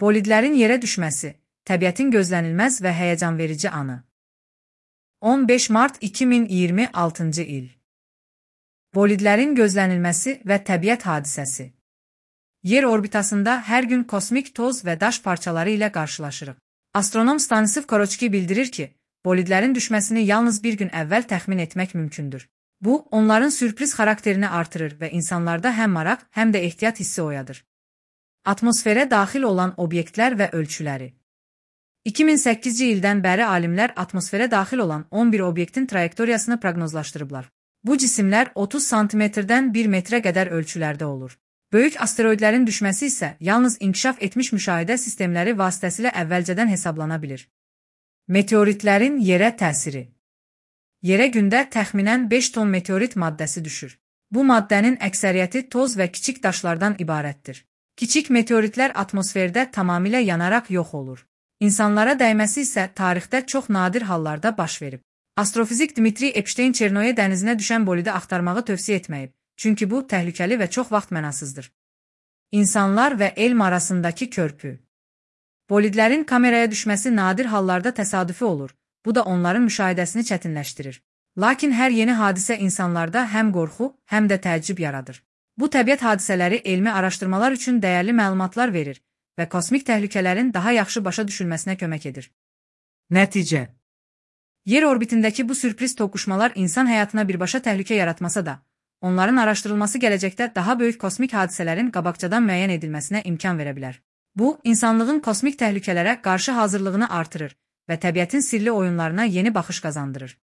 Bolidlərin yerə düşməsi, təbiətin gözlənilməz və həyəcanverici anı. 15 mart 2026-cı il. Bolidlərin gözlənilməsi və təbiət hadisəsi. Yer orbitasında hər gün kosmik toz və daş parçaları ilə qarşılaşırıq. Astronom Stanislav Koroçki bildirir ki, bolidlərin düşməsini yalnız bir gün əvvəl təxmin etmək mümkündür. Bu, onların sürpriz xarakterini artırır və insanlarda həm maraq, həm də ehtiyat hissi oyadır. Atmosferə daxil olan obyektlər və ölçüləri. 2008-ci ildən bəri alimlər atmosferə daxil olan 11 obyektin trayektoriyasını proqnozlaşdırıblar. Bu cisimlər 30 santimetrdən 1 metrə qədər ölçülərdə olur. Böyük asteroidlərin düşməsi isə yalnız inkişaf etmiş müşahidə sistemləri vasitəsilə əvvəlcədən hesablana bilir. Meteoritlərin yerə təsiri. Yerə gündə təxminən 5 ton meteorit maddəsi düşür. Bu maddənin əksəriyyəti toz və kiçik daşlardan ibarətdir. Kiçik meteoritlər atmosferdə tamamilə yanaraq yox olur. İnsanlara dəyməsi isə tarixdə çox nadir hallarda baş verib. Astrofizik Dmitri Epstein Çernoye dənizinə düşən bolidi axtarmağı tövsiyə etməyib, çünki bu təhlükəli və çox vaxt mənasızdır. İnsanlar və elm arasındakı körpü. Bolidlərin kameraya düşməsi nadir hallarda təsadüfi olur, bu da onların müşahidəsini çətinləşdirir. Lakin hər yeni hadisə insanlarda həm qorxu, həm də təəccüb yaradır. Bu təbiət hadisələri elmi araşdırmalar üçün dəyərli məlumatlar verir və kosmik təhlükələrin daha yaxşı başa düşülməsinə kömək edir. Nəticə. Yer orbitindəki bu sürpriz toqquşmalar insan həyatına birbaşa təhlükə yaratmasa da, onların araşdırılması gələcəkdə daha böyük kosmik hadisələrin qabaqcadan müəyyən edilməsinə imkan verə bilər. Bu, insanlığın kosmik təhlükələrə qarşı hazırlığını artırır və təbiətin sirli oyunlarına yeni baxış qazandırır.